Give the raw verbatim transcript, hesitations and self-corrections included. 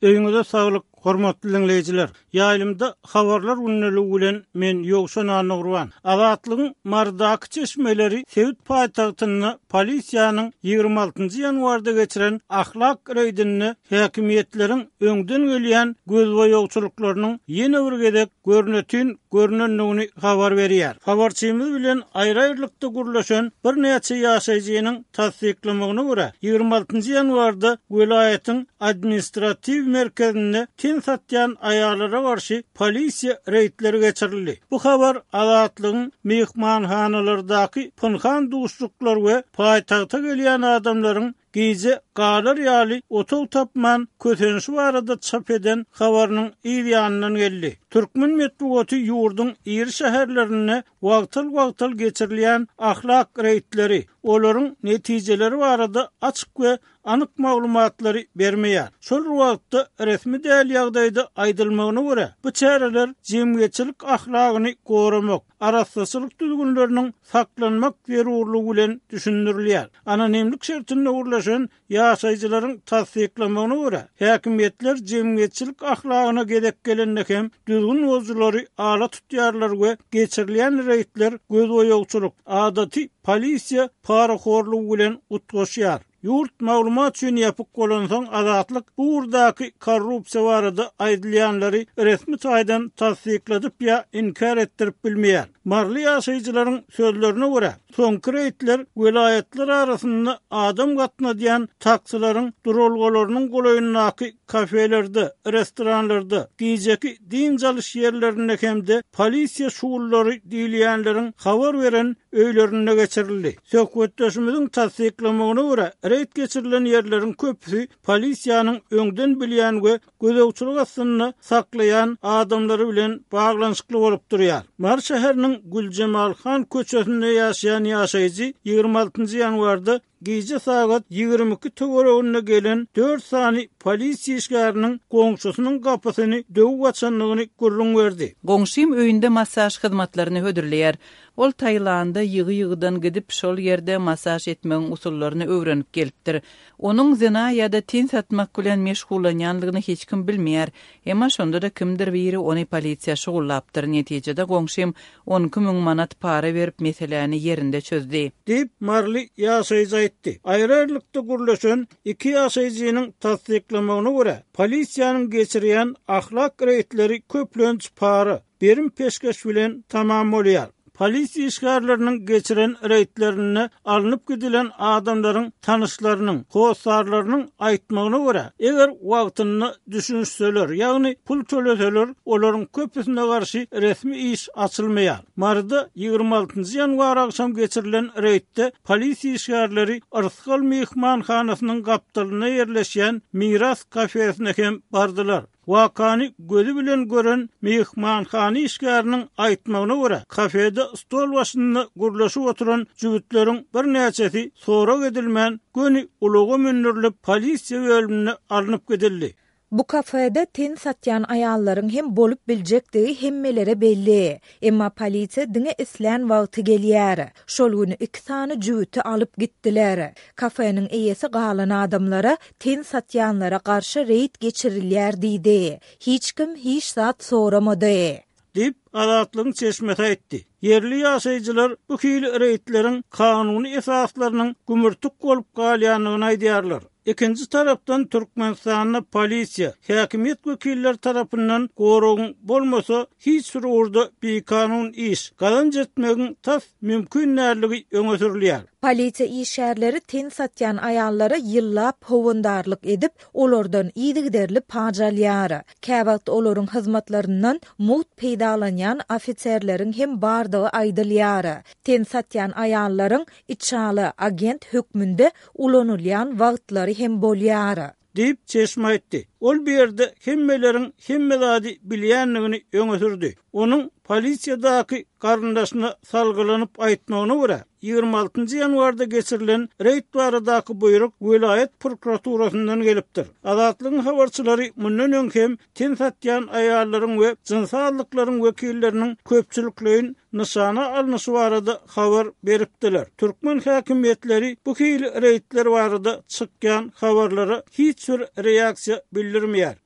Öýüňize saglyk, hormatly diňleýjiler. Ýaýlymda habarlar gündeligi bilen men Ýowşan Annagurban. Azatlygyň Marydaky çeşmeleri sebit paýtagtynda polisiýanyň ýigrimi altynjy ýanwarda geçiren ahlak reýdinde häkimiýetleriň öňden gelýän gözboýagçylyklarynyň ýene bir gezek görnetin görnendigini habar berýär. Habarçymyz bilen aýry-aýrylykda gürleşen birnäçe ýaşaýjynyň tassyklamagyna görä, ýigrimi altynjy ýanwarda welaýatyň administratiw merkezinde ten satýan aýallara garşy polisiýa reýdleri geçirildi. Bu habar Azatlygyň mehmanhanalardaky pynhan duşluklar we paýtagta gelýän adamlaryň gije galar ýaly otag tapman kösenişi barada çap eden habarynyň yz ýanyndan geldi. Türkmen metbugaty ýurduň iri şäherlerinde wagtal-wagtal geçirilýän ahlak reýdleri, olaryň netijeleri barada açyk we anyk maglumatlary bermeýär. Şol wagtda resmi däl ýagdaýda aýdylmagyna görä, bu çäreler jemgyýetçilik ahlagyny goramak, arassaçylyk düzgünleriniň saklanmak zerurlygy bilen düşündirilýär. Anonimlik şertinde gürleşen ýaşaýjylaryň tassyklamagyna görä, häkimiýetler jemgyýetçilik ahlagyna gezek gelende hem düzgün bozujylary ala tutýarlar we geçirilýän reýdler gözboýagçylyk, adaty polisiýa parahorlugy bilen utgaşýar. Ýurt maglumat üçin ýapyk bolansoň Azatlyk bu ugurdaky korrupsiýa barada aýdylýanlary resmi taýdan tassykladyp ýa inkär etdirip bilmeýär. Maryly ýaşaýjylaryň sözlerine görä, soňky reýdler welaýatlar arasynda adam gatnadýan taksilaryň duralgalarynyň golaýyndaky kafelerde, restoranlarda, gijeki dynç alyş ýerlerinde hem-de polisiýa şugullary diýilýänleriň habar beren öýlerinde geçirildi. Söhbetdeşimiziň tassyklamagyna görä, reýd geçirilen ýerleriň köpüsi polisiýanyň öňden bilýän we gözegçilik astynda saklaýan adamlary bilen baglanyşykly bolup durýar. Mary şäheriniň Güljemalhan köçesinde ýaşaýan ýaşaýjy ýigrimi altynjy ýanwarda gije sagat ýigrimi iki töwereginde gelen dört sany polisiýa işgäriniň goňşusynyň gapysyny döwüp açandygyny gürrüň berdi. Goňşym öýünde massaž hyzmatlaryny hödürleýär. Ol Taýlanda ýygy-ýygydan gidip, şol ýerde massaž etmegiň usullaryny öwrenip gelipdir. Onuň zina ýa-da ten satmak bilen meşgullanýanlygyny hiç kim bilmeýär. Emma şonda-da kimdir biri ony polisiýa şugullapdyr. Netijede goňşym on iki müň manat para berip meseläni ýerinde çözdü. Diýip Maryly ýaşaýjy aýtdy. Aýry-aýrylykda gürleşen iki ýaşaýjynyň tassyklamagyna görä, polisiýanyň geçirýän ahlak reýdleri köplenç para, berim peşgeş bilen tamam bolýar. Polisiýa işgärleriniň geçiren reýdlerinde alnyp gidilen adamlaryň tanyşlarynyň, hossarlarynyň aýtmagyna görä, eger wagtynda düşünişseler, ýagny pul töleseler, olaryň köpüsine garşy resmi iş açylmaýar. Maryda ýigrimi altynjy ýanwar agşam geçirilen reýdde polisiýa işgärleri Yrsgal mehmanhanasynyň gapdalynda ýerleşýän Miras kafesine hem bardylar. Wakany gözü bilen gören mehmanhana işgäriniň aýtmagyna görä, kafede stol başynda gürleşip oturan jübütleriň birnäçesi sorag edilmän, göni ulaga mündürilip polisiýa bölümine alnyp gidildi. Bu kafede ten satýan aýallaryň hem bolup biljekdigi hemmelere belli. Emma polisiýa diňe islän wagty gelýär. Şol güni iki sany jübüti alyp gitdiler. Kafeniň eýesi galan adamlara ten satýanlara garşy reýd geçirilýär diýdi. Hiç kim hiç zat soramady. Diýip Azatlygyň çeşmesi aýtdy. Ýerli ýaşaýjylar bu hili reýdleriň kanuny esaslarynyň gümürtik bolup galýandygyny aýdýarlar. Ikinji tarapdan Türkmenistanda polisiýa, häkimiýet wekilleri tarapyndan goragyň bolmasa hiç bir ugurda bikanun iş, gazanç etmegiň tas mümkin dälligi öňe sürülýär. Polisiýa işgärleri ten satýan aýallara ýyllap howandarlyk edip, olardan yzygiderli paç alýar. Käwagt olaryň hyzmatlaryndan mugt peýdalanýan ofiserleriň hem bardygy aýdylýar. Ten satýan aýallaryň içaly agent hökmünde ulanylýan wagtlary hem bolýar. Diýip çeşme aýtdy. Ol bir ýerde hemmeleriň hemme zady bilýändigini öňe sürdi. Onuň polisiýadaky garyndaşyna salgylanyp aýtmagyna görä, ýigrimi altynjy ýanwarda geçirilen reýd baradaky buýruk welaýat prokuraturasyndan gelipdir. Azatlygyň habarçylary mundan öň hem ten satýan aýallaryň we jynsy azlyklaryň wekilleriniň köpçülikleýin nyşana alnyşy barada habar beripdiler. Türkmen häkimiýetleri bu hili reýdler barada çykýan habarlara hiç bir reaksiýa bildirmeýär.